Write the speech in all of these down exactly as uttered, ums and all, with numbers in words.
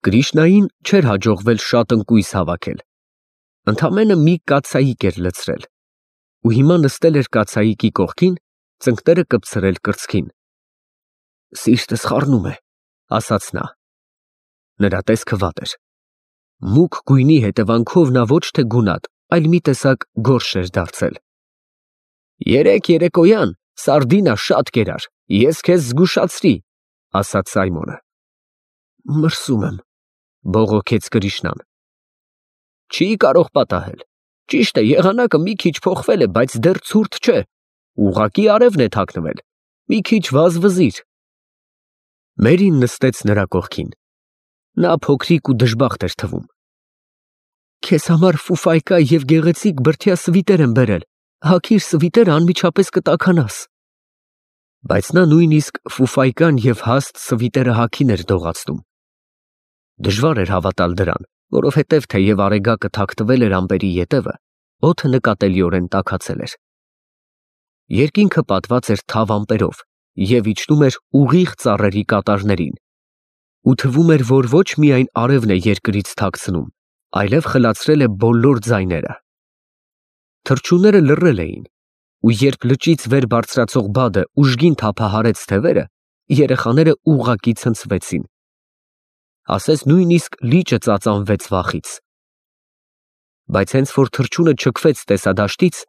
Կրիշնային չէր հաջողվել շատ ընկույզ հավաքել, ընդամենը մի կաթսայիկ էր լցրել, ու հիմա նստել էր կաթսայիկի կողքին, ծնկները կպցրել կրծքին։ Սիրտս խառնում է, ասաց նա։ Նրա տեսքը վատ էր։ Մուգ գույնի հետևանքով նա ոչ թե գունատ, այլ մի տեսակ գորշ էր դարձել։ Երեկ երեկոյան սարդինա շատ կերար, ես քեզ զգուշացրի, ասաց Սայմոնը։ Մրսում եմ, բողոքեց Կրիշնան։ Չի կարող պատահել։ Ճիշտ է, եղանակը մի քիչ փոխվել է, բայց դեռ ցուրտ չէ, ուղղակի արևն է թաքնվել, մի քիչ վազվզիր։ Մերին նստեց նրա կողքին։ Նա փոքրիկ ու դժբախտ էր թվում։ Քեզ համար ֆուֆայկա և գեղեցիկ բրդյա սվիտեր եմ բերել, հագիր սվիտերը անմիջապես կտաքանաս։ Բայց նա նույնիսկ ֆուֆայկան և հաստ սվիտերը հագին էր դողացնում։ Դժվար էր հավատալ դրան, որովհետև թեև արեգակը թաքթվել էր ամպերի ետևը, օդը նկատելիորեն տաքացել էր։ Երկինքը պատված էր թավ ամպերով և իջնում էր ուղիղ ծառերի կատարներին, ու թվում էր, որ ոչ միայն արևն է երկրից թաքցնում, այլև խլացրել է բոլոր ձայները։ Թռչունները լռել էին, ու երբ լճից վեր բարձրացող բադը ուժգին թափահարեց թևերը, երեխաները ուղղակի ցնցվեցին։ Ասես նույնիսկ լիճը ծածանվեց վախից։ Բայց հենց որ թռչունը չքվեց տեսադաշտից,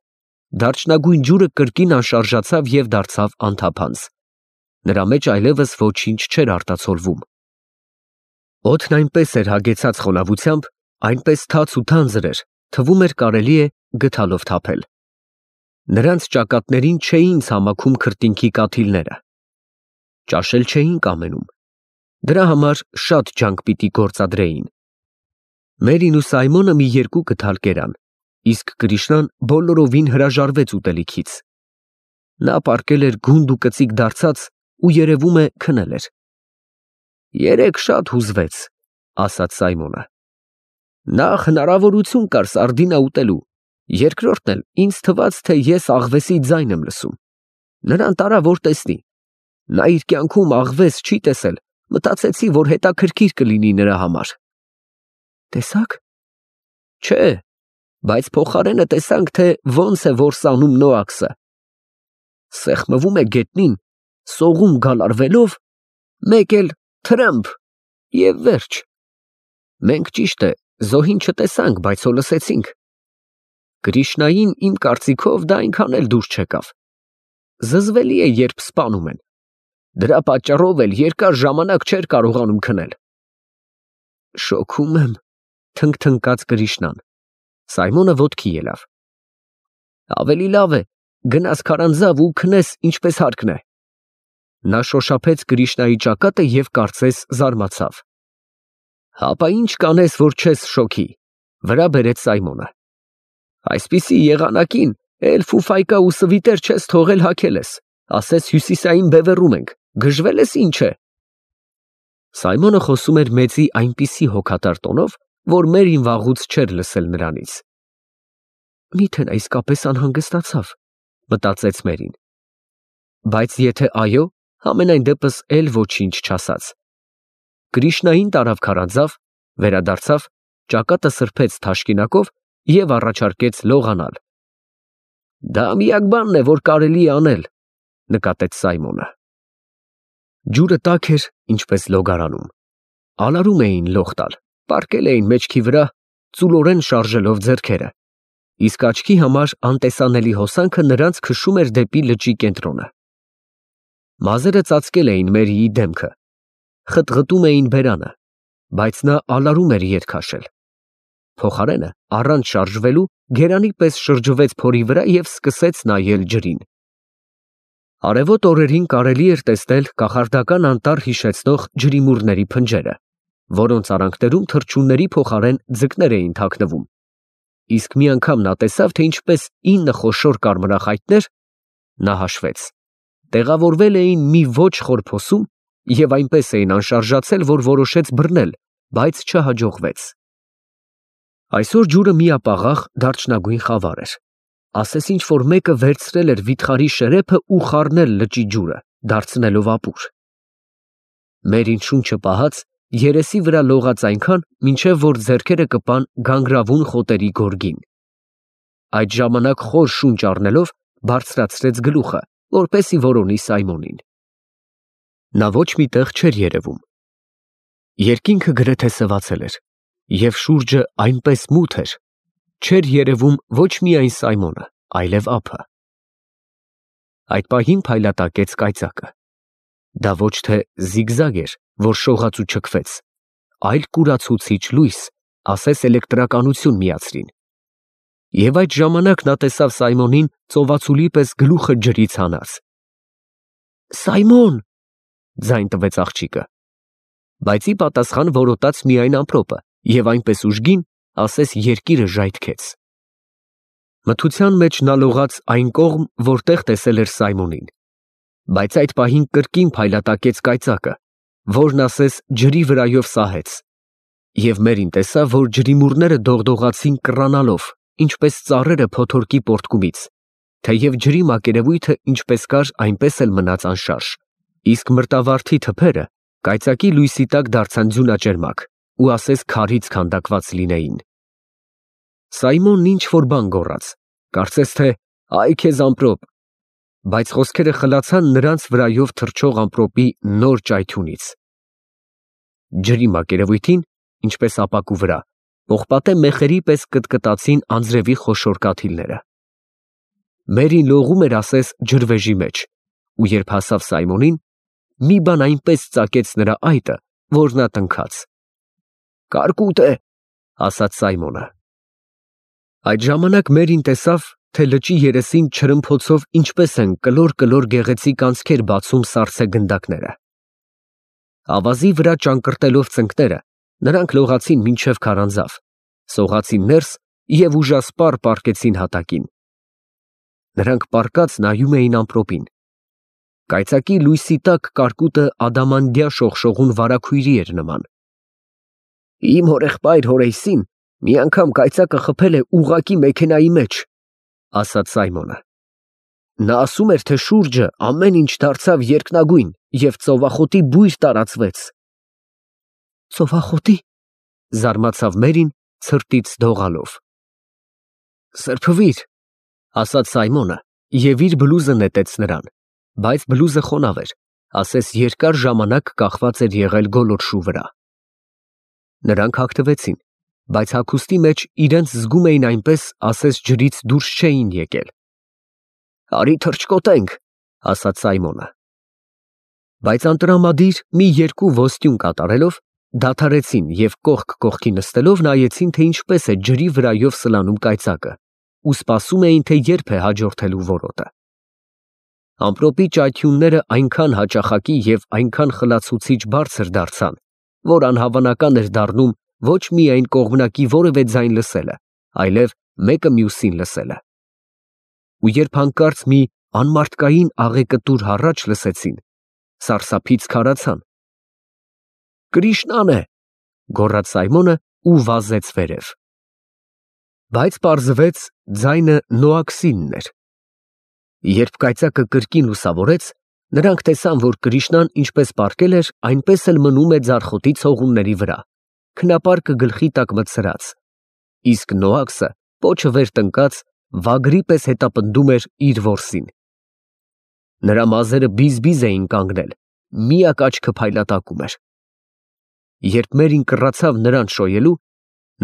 դարչնագույն ջուրը կրկին անշարժացավ և դարձավ անթափանց։ Նրա մեջ այլևս ոչինչ չէր արտացոլվում։ Օդն այնպես էր հագեցած խոնավությամբ, այնպես թաց ու թանձր էր, թվում էր կարելի է գդալով թափել։ Նրանց ճակատներին չէին ցամաքում քրտինքի կաթիլները։ Ճաշել չէին կամենում։ Դրա համար շատ ջանք պիտի գործադրեին։ Մերին ու Սայմոնը մի երկու կթալ կերան, իսկ Կրիշնան բոլորովին հրաժարվեց ուտելիքից։ Նա պառկել էր գունդ ու կծիկ դարձած ու երևում է քնել էր։ Երեկ շատ հուզվեց, ասաց Սայմոնը։ Նախ հնարավորություն կար սարդինա ուտելու, երկրորդն էլ ինձ թվաց, թե ես աղվեսի ձայն եմ լսում։ Նրան տարա, որ տեսնի։ Նա իր կյանքում աղվես չի տեսել, մտածեցի, որ հետաքրքիր կլինի նրա համար։ Տեսա՞ք։ Չէ, բայց փոխարենը տեսանք, թե ոնց է որսանում Նոաքսը։ Սեղմվում է գետնին, սողում գալարվելով, մեկ էլ թրըմփ և վերջ։ Մենք ճիշտ է, զոհին չտեսանք, բայց հո լսեցինք։ Կրիշնային իմ կարծիքով դա այնքան էլ դուր չեկավ։ Զզվելի է, երբ սպանում են։ Դրա պատճառով էլ երկար ժամանակ չէր կարողանում քնել։ Շոքում եմ, թնգթնգաց Կրիշնան։ Սայմոնը ոտքի ելավ։ Ավելի լավ է, գնաս քարանձավ ու քնես ինչպես հարկն է։ Նա շոշափեց Կրիշնայի ճակատը և կարծես զարմացավ։ Հապա ինչ կանես, որ չես շոքի, վրա բերեց Սայմոնը։ Այսպիսի եղանակին էլ ֆուֆայկա ու սվիտեր չես թողել հագել ես, ասես հյուսիսային բևեռում ենք, գժվել ես ինչ է։ Սայմոնը խոսում էր մեծի այնպիսի հոգատար տոնով, որ Մերին վաղուց չէր լսել նրանից։ Միթե նա իսկապես անհանգստացավ, մտածեց Մերին։ Բայց եթե այո, համենայն դեպս էլ ոչինչ չասաց։ Կրիշնային տարավ քարանձավ, վերադարձավ, ճակատը սրբեց թաշկինակով և առաջարկեց լողանալ։ Դա միակ բանն է, որ կարելի է անել, նկատեց Սայմոնը։ Ջուրը տաք էր, ինչպես լոգարանում։ Ալարում էին լող տալ, պառկել էին մեջքի վրա, ծուլորեն շարժելով ձեռքերը, իսկ աչքի համար անտեսանելի հոսանքը նրանց քշում էր դեպի լճի կենտրոնը։ Մազերը ծածկել էին Մերիի դեմքը, խտղտում էին բերանը, բայց նա ալարում էր ետ քաշել։ Փոխարենը, առանց շարժվելու, գերանի պես շրջվեց փորի վրա և սկսեց նայել ջրին։ Արևոտ օրերին կարելի էր տեսնել կախարդական անտառ հիշեցնող ջրիմուռների փնջերը, որոնց արանքներում թռչունների փոխարեն ձկներ էին թաքնվում։ Իսկ մի անգամ նա տեսավ, թե ինչպես ինը խոշոր կարմրախայտներ, նա հաշվեց, տեղավորվել էին մի ոչ խոր փոսում և այնպես էին անշարժացել, որ որոշեց բռնել, բայց չհաջողվեց։ Այսօր ջուրը միապաղաղ դարչնագույն խավար էր, ասես ինչ-որ մեկը վերցրել էր վիթխարի շերեփը ու խառնել լճի ջուրը, դարձնելով ապուր։ Մերին շունչը պահած երեսի վրա լողաց այնքան, մինչև որ ձեռքերը կպան գանգրավուն խոտերի գորգին։ Այդ ժամանակ խոր շունչ առնելով բարձրացրեց գլուխը, որպեսի որոնի Սայմոնին։ Նա ոչ մի տեղ չէր երևում։ Երկինքը գրեթե սևացել էր, և շուրջը այնպես մութ էր, չէր երևում ոչ միայն Սայմոնը, այլև ափը։ Այդ պահին փայլատակեց կայծակը։ Դա ոչ թե զիգզագ էր, որ շողաց ու չքվեց, այլ կուրացուցիչ լույս, ասես էլեկտրականություն միացրին։ Եվ այդ ժամանակ նա տեսավ Սայմոնին ծովածուլի պես գլուխը ջրից հանած։ «Սայմոն», ձայն տվեց աղջիկը, բայց ի պատասխան որոտաց միայն ամպրոպը և այնպես ուժգին, ասես երկիրը ժայթքեց։ Մթության մեջ նա լողաց այն կողմ, որտեղ տեսել էր Սայմոնին, բայց այդ պահին կրկին փայլատակեց կայծակը, որն ասես ջրի վրայով սահեց, և Մերին տեսավ, որ ջրիմուռները դողդողացին կռանալով, ինչպես ծառերը փոթորկի պոռթկումից, թեև ջրի մակերևույթը ինչպես կար, այնպես էլ մնաց անշարժ, իսկ մրտավարդի թփերը կայծակի լույսի տակ դարձան ձյունաճերմակ ու ասես քարից քանդակված լինեին։ Սայմոնն ինչ-որ բան գոռաց, կարծես թե «Այ քեզ ամպրոպ», բայց խոսքերը խլացան նրանց վրայով թռչող ամպրոպի նոր ճայթյունից։ Ջրի մակերևույթին, ինչպես ապակու վրա, պողպատե մեխերի պես կտկտացին անձրևի խոշոր կաթիլները։ Մերին լողում էր ասես ջրվեժի մեջ, ու երբ հասավ Սայմոնին, մի բան այնպես ծակեց նրա այտը, որ նա տնքաց։ «Կարկուտ է», ասաց Սայմոնը։ Այդ ժամանակ Մերին տեսավ, թե լճի երեսին չրմփոցով ինչպես են կլոր-կլոր գեղեցիկ անցքեր բացում սառցե գնդակները։ Ավազի վրա ճանկռտելով ծնկները, նրանք լողացին մինչև քարանձավ, սողացին ներս և ուժասպառ պառկեցին հատակին։ Նրանք պառկած նայում էին ամպրոպին։ Կայծակի լույսի տակ կարկուտը ադամանդյա շողշողուն վարագույրի էր նման։ «Իմ հորեղբայր Հորայսին մի անգամ կայծակը խփել է ուղղակի մեքենայի մեջ», ասաց Սայմոնը։ «Նա ասում էր, թե շուրջը ամեն ինչ դարձավ երկնագույն և ծովախոտի բույր տարածվեց»։ «Ծովախոտի», զարմացավ Մերին ցրտից դողալով։ «Սրբվիր», ասաց Սայմոնը և իր բլուզը նետեց նրան, բայց բլուզը խոնավ էր, ասես երկար ժամանակ կախված էր եղել գոլորշու վրա։ Նրանք հագնվեցին, բայց հագուստի մեջ իրենց զգում էին այնպես, ասես ջրից դուրս չէին եկել։ «Արի թռչկոտենք», ասաց Սայմոնը։ Բայց անտրամադիր մի երկու ոստյուն կատարելով, դադարեցին և կողք կողքի նստելով նայեցին, թե ինչպես է ջրի վրայով սլանում կայծակը, ու սպասում էին, թե երբ է հաջորդելու որոտը։ Ամպրոպի ճայթյունները այնքան հաճախակի և այնքան խլացուցիչ բարձր դարձան, որ անհավանական էր դառնում ոչ միայն կողմնակի որևէ ձայն լսելը, այլև մեկը մյուսին լսելը։ Ու երբ հանկարծ մի անմարդկային աղեկտուր հառաչ լսեցին, սարսափից քարացան։ «Կրիշնան է», գոռաց Սայմոնը ու վազեց վերև։ Բայց պարզվեց ձայնը Նոաքսինն էր։ Երբ կայծակը կրկին լուսավորեց, նրանք տեսան, որ Կրիշնան ինչպես պառկել էր, այնպես էլ մնում է ձարխոտի ցողունների վրա, քնապարկը գլխի տակ մտցրած, իսկ Նոաքսը պոչը վեր տնկած վագրի պես հետապնդում էր իր որսին։ Նրա մազերը բիզ-բիզ էին կանգնել, միակ աչքը փայլատակում էր։ Երբ Մերին կռացավ նրան շոյելու,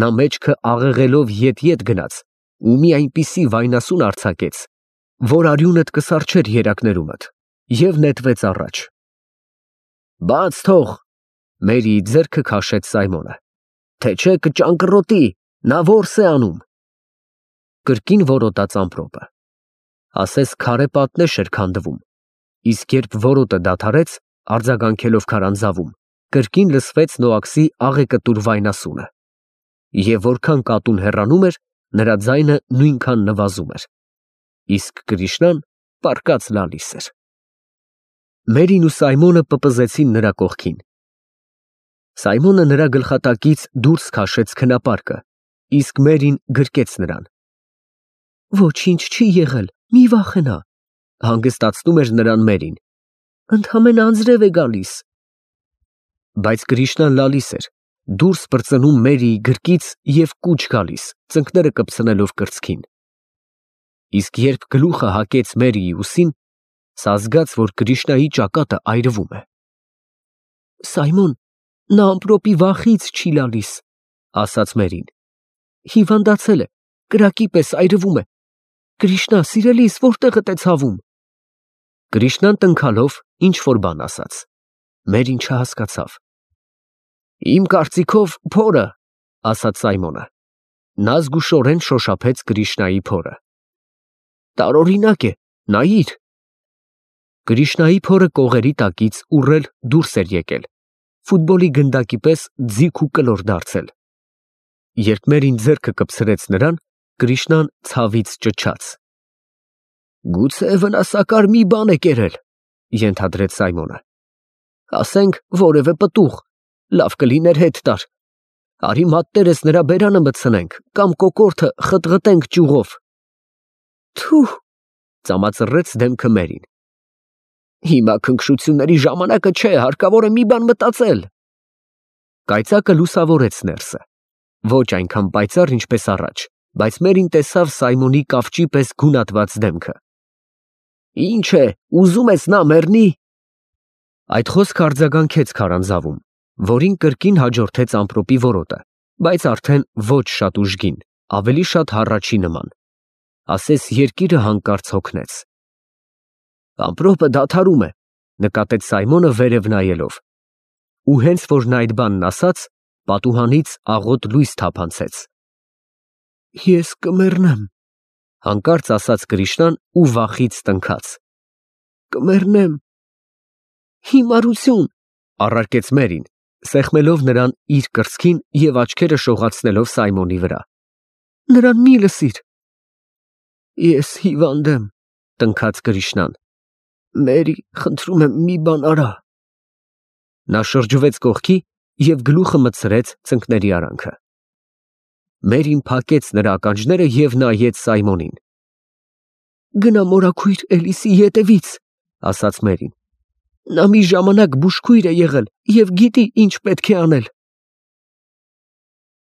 նա մեջքը աղեղելով ետ-ետ գնաց ու մի այնպիսի վայնասուն արձակեց, որ արյունդ կսառչեր երակներումդ, և նետվեց առաջ։ «Բաց թող», Մերիի ձեռքը քաշեց Սայմոնը, «թե չէ կճանկռոտի, նա որս է անում»։ Կրկին որոտաց ամպրոպը, ասես քարե պատնեշ էր քանդվում, իսկ երբ որոտը դադարեց, արձագանքելով քարանձավում, կրկին լսվեց Նոաքսի աղեկտուր վայնասունը, և որքան կատուն հեռանում էր, նրա ձայնը նույնքան նվազում էր, իսկ Կրիշնան պառկած լալիս էր։ Մերին ու Սայմոնը պպզեցին նրա կողքին։ Սայմոնը նրա գլխատակից դուրս քաշեց քնապարկը, իսկ Մերին գրկեց նրան։ «Ոչինչ չի եղել, մի վախենա», հանգստացնում էր նրան Մերին, «ընդամենը անձրև է գալիս»։ Բայց Կրիշնան լալիս էր, դուրս պրծնում Մերիի գրկից և կուչ գալիս, ծնկները կպցնելով կրծքին։ Իսկ երբ գլուխը հակեց Մերիի ուսին, սա զգաց, որ Կրիշնայի ճակատը այրվում է։ Սայմոն, նա ամպրոպի վախից չի լալիս, ասաց Մերին։ Հիվանդացել է, կրակի պես այրվում է։ Կրիշնա, սիրելիս, որտեղդ է ցավում։ Կրիշնան տնքալով ինչ-որ բան ասաց։ Մերին չհասկացավ։ Իմ կարծիքով փորը, ասաց Սայմոնը։ Նա զգուշորեն շոշափեց Կրիշնայի փորը։ Տարօրինակ է, նայիր։ Կրիշնայի փորը կողերի տակից ուռել դուրս էր եկել, ֆուտբոլի գնդակի պես ձիգ ու կլոր դարձել։ Երբ Մերին ձեռքը կպցրեց նրան, Կրիշնան ցավից ճչաց։ Գուցե վնասակար մի բան է կերել, ենթադրեց Սայմոնը։ Ասենք որևէ պտուղ, լավ կլիներ հետ տար։ Արի մատներս նրա բերանը մտցնենք կամ կոկորդը խտղտենք ճյուղով։ Թուհ, ծամածռեց դեմքը Մերին։ Հիմա քնքշությունների ժամանակը չէ, հարկավոր է մի բան մտածել։ Կայծակը լուսավորեց ներսը։ Ոչ այնքան պայծառ, ինչպես առաջ, բայց Մերին տեսավ Սայմոնի կավճի պես գունատված դեմքը։ Ինչ է, ուզում ես նա մեռնի։ Այդ խոսքը արձագանքեց քարանձավում, որին կրկին հաջորդեց ամպրոպի որոտը, բայց արդեն ոչ շատ ուժգին, ավելի շատ հառաչի նման։ Ասես երկիրը հանկարծ հոգնեց։ Ամպրոպը դադարում է, նկատեց Սայմոնը վերև նայելով։ Ու հենց որ նա այդ բանն ասաց, պատուհանից աղոտ լույս թափանցեց։ Ես կմեռնեմ, հանկարծ ասաց Կրիշնան ու վախից տնքաց։ Կմեռնեմ։ Հիմարություն, առարկեց Մերին, սեղմելով նրան իր կրծքին և աչքերը շողացնելով Սայմոնի վրա։ Նրան մի լսիր։ Ես հիվանդ եմ, տնքաց Կրիշնան։ Մերի, խնդրում եմ, մի բան արա։ Նա շրջվեց կողքի և գլուխը մտցրեց ծնկների արանքը։ Մերին փակեց նրա ականջները և նայեց Սայմոնին։ Գնա մորաքույր Էլիսի ետևից, ասաց Մերին։ Նա մի ժամանակ բուժքույր է եղել և գիտի ինչ պետք է անել։